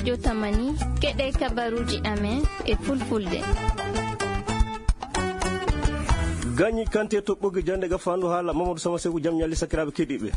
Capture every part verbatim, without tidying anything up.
Jotamani, keɗe kabaruji amen e fulfulde. Gañi kante to ɓoggi jande ga fandu haala Mamadou Sama Seku, jam ñalli sakiraaɓe keɗiiɓe.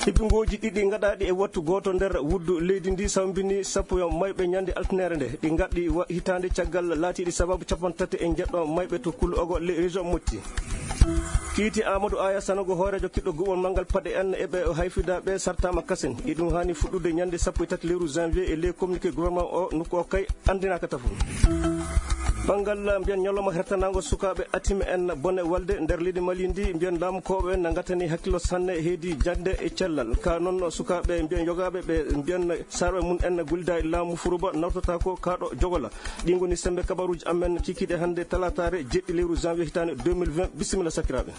Hippingoji ɗiɗi gaɗaɗi e wattu gooto nder wuddu leydi ndi sawbini sappo yo mayɓe ñande altinere nde. Ɗi gaɗɗi wa-, hitaande caggal laatiiɗi sababu capanɗe tati e njeɗɗo mayɓe to Kulu Ogo, le région Motti. Kiiti Amadou Aya Sanogo, hooreejo kiɗɗo guɓol manngal paɗe en e ɓe o hayfida ɓe sartaama kasen. Iɗum haani fuɗɗude ñande sappo e tati lewru janvier e ley communiqué gouvernement o, nokku o kay anndinaaka tafo. Banngal mbiyen ñalawma hertanaango sukaaɓe Atim en bone walde nder leydi Mali ndi, mbiyen laamukooɓe na ngatani hakkillo sanne heedi jannde e cellal. Ka noon sukaaɓe mbiyen yogaaɓe ɓe mbiyen sarɓe mum en gollidaali laamu Furuba nawtata ko kaaɗo jogola. Ɗi ngoni sembe kabaruuji amen kikiiɗe hannde talataare jeɗɗi lewru janvier hitaande deux mille vingt. Bisimilla sakiraaɓe.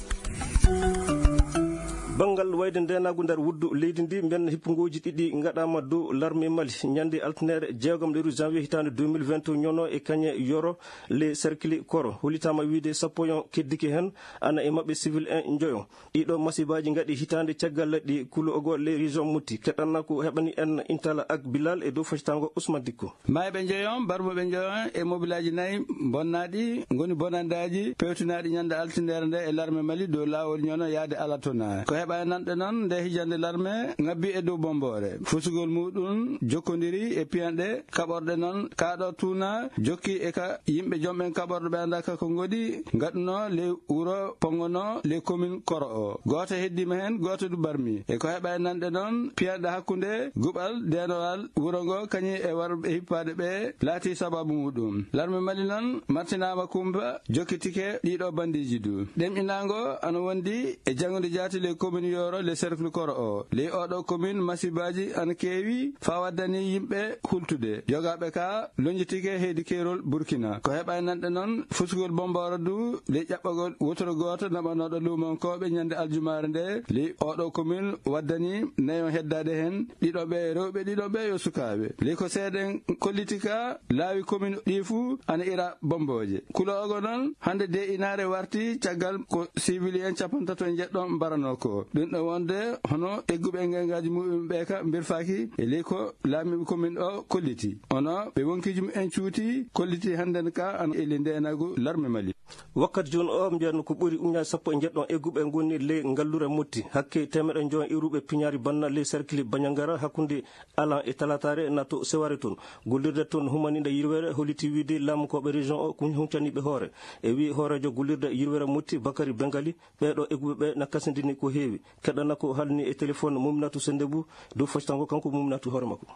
Banngal wayde ndeenaagu nder wuddu leydi ndi, mbiyen hippungooji ɗiɗi ngaɗaama dow larme Mali. Ñande altinere jeegom lewru janvier hitaande deux mille vingt ñono e kañe yoro le cercle koro. Hollitaama wiide sappo yon keddike heen, ana e maɓɓe civil en njoyo. Ɗiɗo masibaaji ngaɗi hitaande caggal ɗi Kulu Ogo le région Motti. Keɗanna ko heɓani en Intala ak Bilal e dow fasitango Ousmane Dikko. Mayɓe njoyon, barmuɓe njoyon e mobilaaji nayi bonnaaɗi ngoni bonandaaji pewtinaaɗi ñande altinere nde e larme Mali dow laawol ñono yaade Alatona. Ko heɓa e nanɗe noon nde hijande larme ngabbi e dow Bombore. Fusugol muɗum jokkondiri e piyanɗe kaɓorɗe noon kaaɗo tuuna jokki e ka yimɓe jomɓen kaɓorɗe ɓe annda ka ko ngoɗi ngaɗuno ley wuro Pongono ley commune Koro o. Gooto heddiima heen, gooto du barmi. E ko heɓa e nanɗe noon, piyanɗe hakkunde guɓal deenowal wuro ngo kañum e warɓe hippaade ɓe laati sababu muɗum. Larme Mali noon martinaama kumpa, jokkitike ɗiɗo bandiiji du. Ɗemɗinaango ana wondi e janngude jaati ley commune Yoro, ley cercle Koro o. Ley oɗo commune, masibaaji ana keewi faa waddani yimɓe hultude. Yogaaɓe ka lonjitike heydi keerol Burkina. Ko heɓa e nanɗe noon, fusugol Bomboro du, ley ƴaɓɓagol wotoro gooto naɓanooɗo luumankooɓe ñande aljumaare nde, ley oɗo commune waddani nayon heddaade heen, ɗiɗo ɓe rewɓe, ɗiɗo ɓe yo sukaaɓe. Ley ko seeɗen kolliti ka laawi commune ɗi fuu ana ira bombooje. Kuloogo noon, hannde de inaare warti caggal ko civil en capantato e njeɗɗo mbaranoo ko. Ɗum ɗo wonde hono egguɓe ngayngaaji muɓɓen ɓe ka mbirfaaki e ley ko laamiiɓe commune o kolliti. Ono ɓe wonkiiji mumen cuuti, kolliti hannden ka ana e ley ndeenaagu larme Mali. Wakkati jooni o, mbiyan ko ɓuri ujunnaaji sappo e njeɗɗo egguɓe ngoni ley ngallure Motti. Hakke teemeɗɗe njoyo iwruɓe piñaari banna ley sarkili Bañangara hakkunde alan e talataare na to Seware toon. Gollirde toon humaniiɗe yirwere holliti wiide laamukooɓe région o kuñ huncaniiɓe hoore. E wii hooreejo gollirde yirwere Motti Bakari Bengali, ɓeeɗo egguɓe ɓe na kasindini ko heewi. Keɗana ko haalni e téléphone Mouminatou Sendebou dow foccango kanko Mouminatou hoore makko.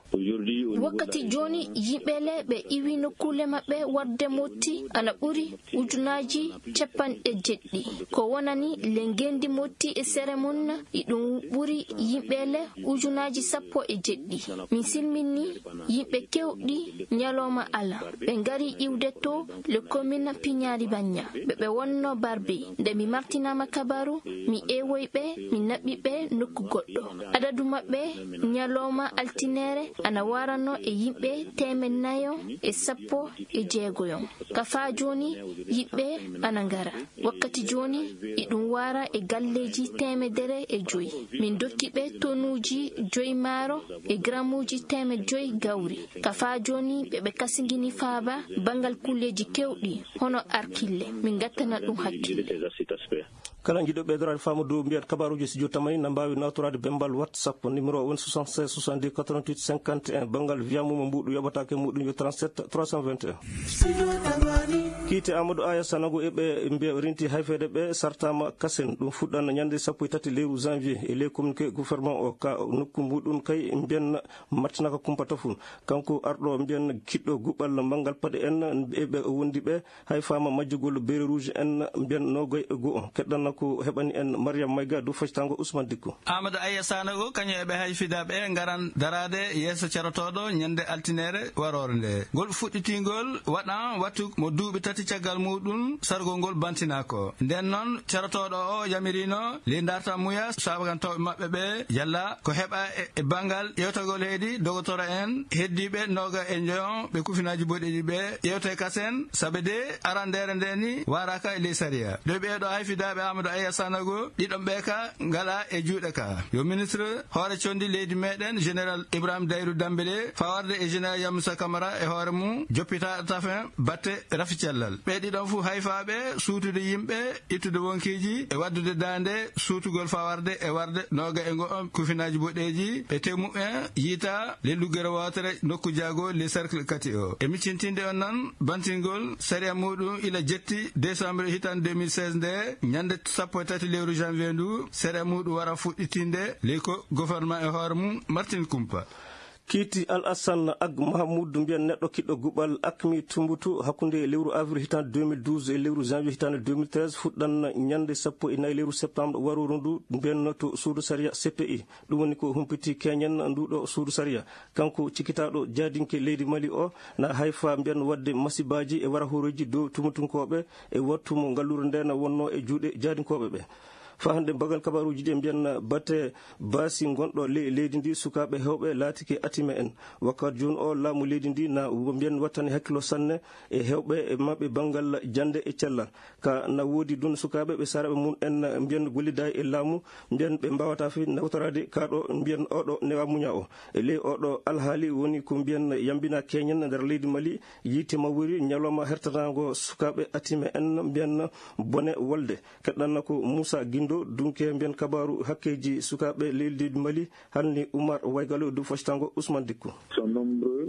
Wakkati jooni, yimɓe le ɓe iwi nokkuule maɓɓe warde Motti ana ɓuri ujunnaaji capanɗe jeɗɗi. Ko wonani le ngenndi Motti e sere mum, iɗum ɓuri yimɓe le ujunnaaji sappo e jeɗɗi. Min silminni yimɓe kewɗi ñalawma ala. Ɓe ngari iwde to le commune Piñaari Baña. Ɓe ɓe wonno barbe. Nde mi martinaama kabaru, mi ewoyi ɓe, mi naɓi ɓe nokku goɗɗo. Adadu maɓɓe ñalawma altinere ana warano e yimɓe teemeɗɗe nayo e sappo e jeegoyon. Ka faa jooni, yimɓe ana ngara. Wakkati jooni, iɗum wara e galleeji teemedere e joyi. Min dokki ɓe tonuuji joyi maaro e gramuuji teemedde joyi gawri. Ka faa jooni, ɓe ɓe kasingini faaba banngal kulleeji kewɗi, hono arkille. Min ngattana ɗum hakkille. Kala jiɗɗo ɓeydoraade faamu dow mbiyan kabaruuji studio Tamani na mbaawi nawtoraade bemmbal WhatsApp, numéro o woni soixante-seize soixante-dix quatre-vingt-huit cinquante et un, banngal via mum mbuuɗu yoɓataake muɗum yo trente-sept trois cent vingt et un. Kiite Amadou Aya Sanogo e ɓe mbiya rinti hayfeede ɓe sartaama kasen. Ɗum fuɗɗan ñande sappo e tati lewru janvier e ley communiqué gouvernement o ka nokku muɗum kay mbiyan martinaka kumpa tafun. Kanko arɗo mbiyan kiɗɗo guɓal manngal paɗe en e ɓe wondi ɓe hay faama majjugol beere rouge en mbiyan nogoy e go'o. Keɗɗanna ko heɓani en Mariam Mayga dow foccango Ousmane Dikko. Amadou Aya Sanogo, kañum e ɓe hay fida ɓe ngaran daraade yeeso carotooɗo ñande altinere waroore nde. Ngol fuɗɗitingol waɗan wattu mo duuɓi tati Caggal muuɗum, sargol ngol bantinaako. Nden noon, carotooɗo o yamirino ley darta muya saabagantooɓe maɓɓe ɓe yalla ko heɓa e, e banngal ƴeewtagol heedi dogotoro en heddiiɓe nooga e njoyon ɓe kufinaaji boɗeeji ɓe ƴeewte kasen, sabe de arandeere nde ni waraaka e ley sariya. Ɗo ɓeeɗo hayfidaaɓe Amadou Aya Sanogo, ɗiɗon ɓe ka ngala e juuɗe ka. Yo ministre hoore condi leydi meɗen, Général Ibrahim Dayru Dambele, fawarde e Général Yamusa Kamara e hoore mum, joppita tafen batte rafi cellal. Ɓe ɗiɗon fu hayfaaɓe suutude yimɓe, ittude wonkiiji e waddude daande suutugol fawarde e warde nooga e ngo on kufinaaji boɗeeji, ɓe temu en yiita le luggere wootere nokku jaago le cercle kati o. E miccintinde on nan, bantingol sariya muɗum ila jetti décembre hitande deux mille seize nde, ñande sappo e tati lewru janvier ndu, sariya muɗum wara fuɗɗitinde ley ko gouvernement e hoore mum Martin Kumpa. Kiiti Al Hassan Ag Mahamuud, mbiyen neɗɗo kiɗɗo guɓal, akmi Tumbutu hakkunde lewru avril hitande deux mille douze e lewru janvier hitande deux mille treize, fuɗɗan ñande sappo e nayi lewru septembre waruru ndu, mbiyen to suudu sariya C P I. Ɗum woni ko humpiti keñen nduɗo suudu sariya. Kanko cikkitaaɗo jaadinke leydi Mali o, na hayfa mbiyen wadde masibaaji e warahooreeji dow tumutunkooɓe e wattu mo ngalluure nde na wonno e juuɗe jaadinkooɓe ɓe. Faa hannde bagal kabaaruuji ɗi mbiyen batte baasi gonɗo ley leydi ndi, sukaaɓe heewɓe laatike atime en. Wakkati jooni o, laamu leydi ndi na mbiyen wattani hakkilo sanne e heewɓe e maɓɓe banngal jannde e cellal. Ka na woodi ɗum sukaaɓe ɓe saraɓe mum en mbiyen gollidaay e laamu, mbiyen ɓe mbaawata fi nawtoraade ka ɗo mbiyen oɗo newa muña o. E ley oɗo alhaali woni ko mbiyen yambina keñen nder leydi Mali, yiite mawri ñalawma hertanaango sukaaɓe atime en mbiyen bone wolde. Keɗɗanna ko Moussa Guindo, dunke mbiyen kabaaru hakkeeji sukaaɓe leydi Mali, halni Oumar Waygalo dow foccango Ousmane Dikko.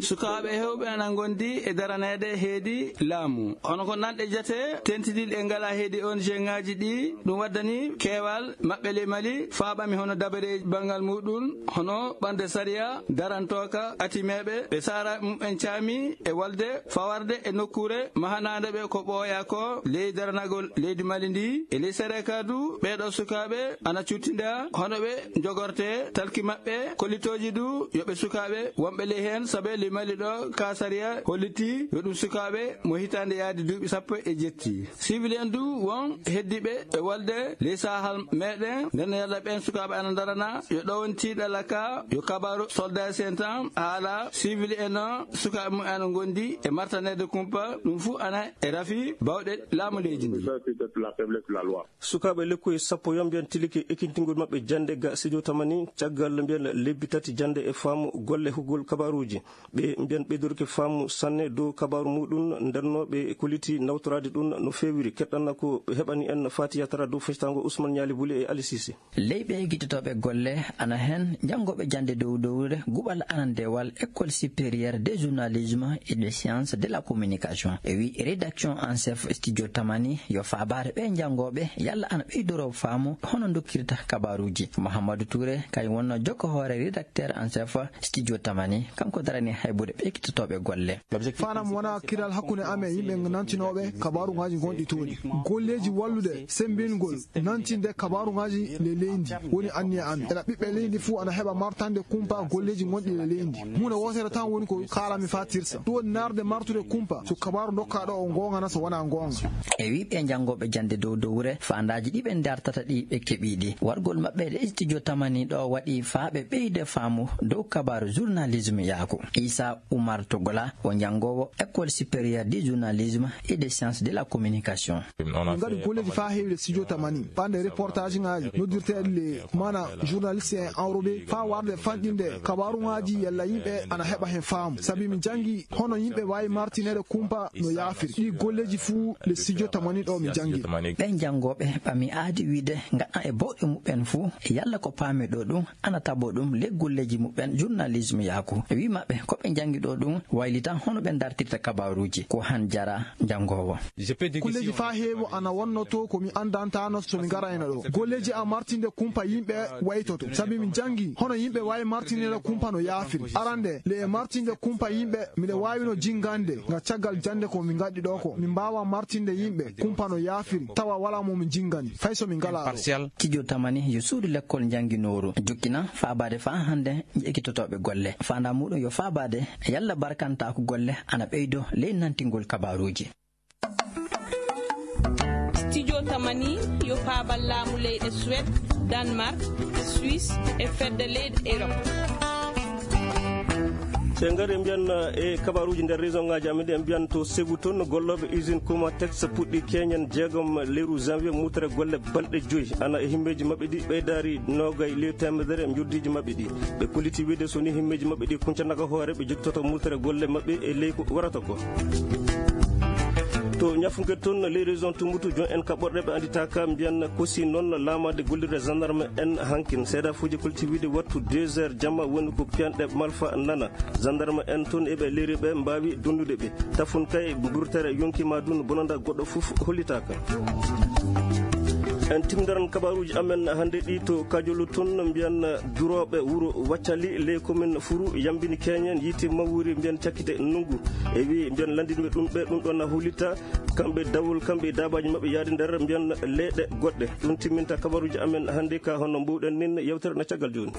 Sukaaɓe heewɓe ana ngondi e daraneede heedi laamu. Hono ko nanɗe jate, tentiniiɗe e ngala heedi O N G ŋaaji ɗi, ɗum waddani keewal maɓɓe ley Mali, faaɓami hono dabareeji banngal muɗum, hono ɓande sariya darantooka atimeeɓe, ɓe sara mum en caami e walde fawarde e nokkuure mahanaande ɓe ko ɓooya ko ley daranagol leydi Mali ndi. E ley Sereka du, ɓeeɗo sukaaɓe ana cuttinda hono ɓe njogorte talki maɓɓe, kollitooji du yo ɓe sukaaɓe wonɓe ley heen, sabe ley Mali ɗo ka sariya holliti yo ɗum sukaaɓe mo hitaande yaade duuɓi sappo e jetti. Civil en du won heddiiɓe e walde ley sahal meɗen, nden yalla ɓen sukaaɓe ana darana yo ɗo woni tiiɗalla ka, yo kabaaru soldat sen tan haala civil en o, sukaaɓe mum ana ngondi e martaneede kumpa, ɗum fuu ana e rafi bawɗe laamu leydi ndi. Sukaaɓe lekkoy sappo yomɓe en tilike ekkintingol maɓɓe jannde ga studio tamani, caggal mbiyen lebbi tati jannde e faamu golle hugol kabaaruuji. Ɓe mbiyen ɓeydorke faamu sanne dow kabaaru muɗum, ndenno ɓe kolliti nawtoraade ɗum no feewiri. Keɗɗanna ko ɓe heɓani en Fatiya Tara dow fectango Ousmane Ñaali Buli e Ali Sisi. Ley ɓe gittotooɓe golle ana heen janngooɓe jannde dow dowre guɓal arandewal École supérieure de journalisme et de sciences de la communication. E wi rédaction en chef studio tamani yo faabaare ɓe janngooɓe yalla ana ɓeydoro faamu hono dokkirta kabaaruuji. Mouhamadou Touré kay wonno jokko hoore rédacteur en chef studio tamani, kanko darani haybude ɓe gittotooɓe golle. Fanam wona kiral hakkunde amen yimɓe nantinooɓe kabaaruŋaaji gonɗi tooni. Golleeji wallude semmbingol nantinde kabaaruŋaaji le leydi woni anniya amen. Ena ɓiɓɓe leydi fuu ana heɓa martande kumpa golleeji gonɗi le leydi. Huunde wootere tan woni ko kaalami faa tirsa. Ɗum woni naarde martude kumpa so kabaaru dokkaaɗo o goonga na so wonaa goonga. E wi ɓe janngooɓe jannde dow dowre, faandaaji ɗi ɓe dartata ɗi ɓe keɓii ɗi. Wargol maɓɓe e studio tamani ɗo waɗi faa ɓe ɓeyde faamu dow kabaaru journalisme yaaku. Issa Oumar Togola, o janngoowo École supérieure du journalisme et des sciences de la communication. Min ngaɗi golleeji faa heewi le studio tamani, ɓande reportage ŋaaji noddirteeɗi le mana journaliste en enrobé, faa warde fanɗinde kabaaruŋaaji yalla yimɓe ana heɓa heen faamu. Sabi min janngi hono yimɓe waawi martineede kumpa no yaafiri. Ɗi golleeji fuu le studio tamani ɗo min janngi. Ɓen janngooɓe ɓami aadi wiide ngaɗa e bawɗe muɓɓen fuu, yalla ko paami ɗo ɗum ana tabo ɗum le golleeji muɓɓen journalisme yaaku. E wi maɓɓe ko ɓe janngi ɗo ɗum waylitan hono ɓe dartirta kabaaruuji. Ko han jara janngoowo. Golleeji faa heewo ana wonno to ko mi andantaano so mi ngarayno ɗo. Golleeji a martinde kumpa yimɓe waytoto. Sabi mi janngi hono yimɓe waawi martinira kumpa no yaafiri. Arande le e martinde kumpa yimɓe, miɗe waawino jinngande nga caggal jannde ko mi ngaɗi ɗo ko. Mi mbaawa martinde yimɓe kumpa no yaafiri, tawa walaa mo mi jinngani, fay so mi ngalaa ɗo. Studio tamani yo suudu lekkol jannginooru. Jokkina faabaade faa hannde e ekkitotooɓe golle. Faandaa muɗum yo faabaade yalla barkantaako golle ana ɓeydo ley nantingol kabaaruuji. Studio Tamani yo paabal laamu leyɗe Suède, Danemark, Suisse e fedde leyɗe Europe. Se ngari mbiyan e kabaruji nder région ngaji amin ɗi, en mbiyan to Ségou toon gollooɓe usine Comatex puɗɗi keñen jeegom lewru janvier mutre golle balɗe joyi. Ana e himmeji maɓɓe ɗi ɓeydaari noogay lewru temedere njoddiji maɓɓe ɗi. Ɓe kolliti wiide so ni himmeji maɓɓe ɗi kuncanaka hoore, ɓe jottoto mutre golle maɓɓe e ley ko warata ko. To Ñafunke toon, ley région Tumbutu, jon en kaɓorɗe ɓe annditaaka mbiyan kosi noon laamaade gollirde gendarme en hankin. Seedafuuji kolti wiide wattu deux heures jamma woni ko piyanɗe malfa nana. Gendarme en toon eɓe leeri ɓe mbaawi donnude ɓe. Tafun kay mburtere yonki ma dun bonanda goɗɗo fof hollitaaka. En timdaran kabaruji amen hannde ɗi to Kajolu toon mbiyan durooɓe wuro Waccali ley commune Furu yambini keñen yiite mawuri mbiyan cakkite nungu. E wi mbiyan landinɓe ɗum ɓe ɗum ɗon na hollita kamɓe dawol, kamɓe e daabaaji maɓɓe yaade nder mbiyan leyɗe goɗɗe. Ɗum timminta kabaruji amen hannde ka hono mbuwɗen nin yewtere na caggal jooni.